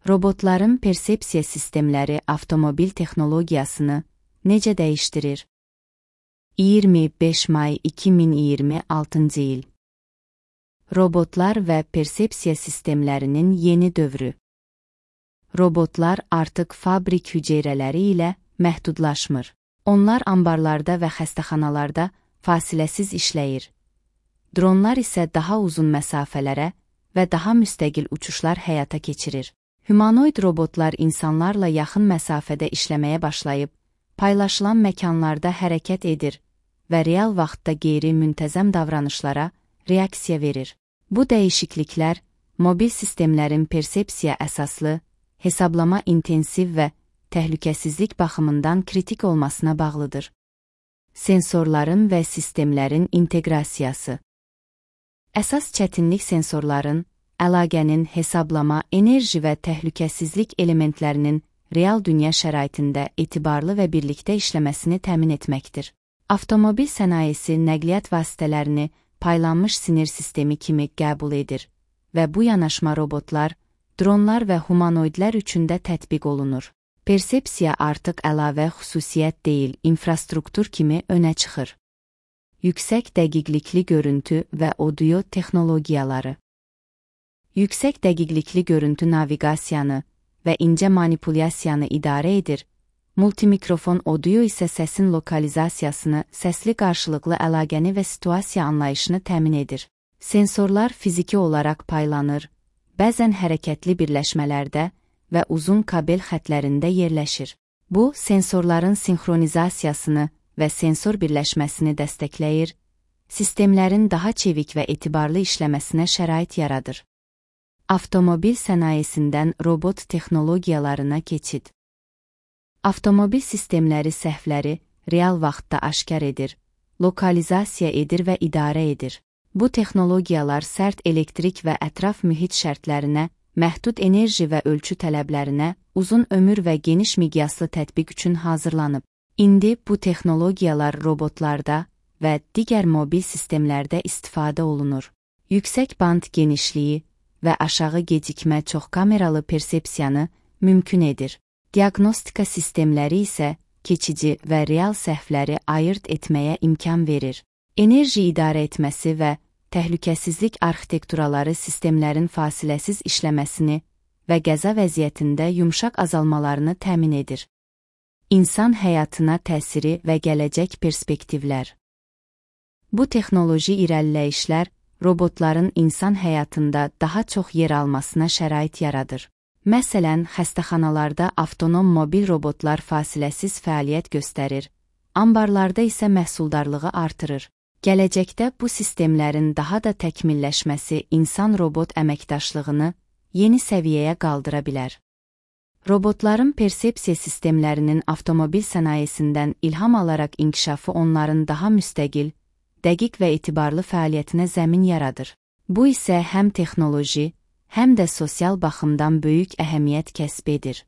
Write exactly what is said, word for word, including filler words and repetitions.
Robotların persepsiya sistemləri avtomobil texnologiyasını necə dəyişdirir? iyirmi beş may iki min iyirmi altıncı il. Robotlar və persepsiya sistemlərinin yeni dövrü. Robotlar artıq fabrik hüceyrələri ilə məhdudlaşmır. Onlar ambarlarda və xəstəxanalarda fasiləsiz işləyir. Dronlar isə daha uzun məsafələrə və daha müstəqil uçuşlar həyata keçirir. Humanoid robotlar insanlarla yaxın məsafədə işləməyə başlayıb, paylaşılan məkanlarda hərəkət edir və real vaxtda qeyri-müntəzəm davranışlara reaksiya verir. Bu dəyişikliklər, mobil sistemlərin persepsiya əsaslı, hesablama intensiv və təhlükəsizlik baxımından kritik olmasına bağlıdır. Sensorların və sistemlərin inteqrasiyası. Əsas çətinlik sensorların, əlaqənin hesablama, enerji və təhlükəsizlik elementlərinin real dünya şəraitində etibarlı və birlikdə işləməsini təmin etməkdir. Avtomobil sənayesi nəqliyyat vasitələrini paylanmış sinir sistemi kimi qəbul edir və bu yanaşma robotlar, dronlar və humanoidlər üçün də tətbiq olunur. Persepsiya artıq əlavə xüsusiyyət deyil, infrastruktur kimi önə çıxır. Yüksək dəqiqlikli görüntü və audio texnologiyaları. Yüksək dəqiqlikli görüntü naviqasiyanı və incə manipulyasiyanı idarə edir, multimikrofon audio isə səsin lokalizasiyasını, səsli qarşılıqlı əlaqəni və situasiya anlayışını təmin edir. Sensorlar fiziki olaraq paylanır, bəzən hərəkətli birləşmələrdə və uzun kabel xətlərində yerləşir. Bu, sensorların sinxronizasiyasını və sensor birləşməsini dəstəkləyir, sistemlərin daha çevik və etibarlı işləməsinə şərait yaradır. Avtomobil sənayesindən robot texnologiyalarına keçid. Avtomobil sistemləri səhvləri real vaxtda aşkar edir, lokalizasiya edir və idarə edir. Bu texnologiyalar sərt elektrik və ətraf mühit şərtlərinə, məhdud enerji və ölçü tələblərinə, uzun ömür və geniş miqyaslı tətbiq üçün hazırlanıb. İndi bu texnologiyalar robotlarda və digər mobil sistemlərdə istifadə olunur. Yüksək band genişliyi və aşağı gecikmə çox kameralı persepsiyanı mümkün edir. Diaqnostika sistemləri isə keçici və real səhvləri ayırt etməyə imkan verir. Enerji idarə etməsi və təhlükəsizlik arxitekturaları sistemlərin fasiləsiz işləməsini və qəza vəziyyətində yumşaq azalmalarını təmin edir. İnsan həyatına təsiri və gələcək perspektivlər. Bu texnoloji irəliləyişlər robotların insan həyatında daha çox yer almasına şərait yaradır. Məsələn, xəstəxanalarda avtonom mobil robotlar fasiləsiz fəaliyyət göstərir, ambarlarda isə məhsuldarlığı artırır. Gələcəkdə bu sistemlərin daha da təkmilləşməsi insan-robot əməkdaşlığını yeni səviyyəyə qaldıra bilər. Robotların persepsiya sistemlərinin avtomobil sənayesindən ilham alaraq inkişafı onların daha müstəqil, dəqiq və etibarlı fəaliyyətinə zəmin yaradır. Bu isə həm texnoloji, həm də sosial baxımdan böyük əhəmiyyət kəsb edir.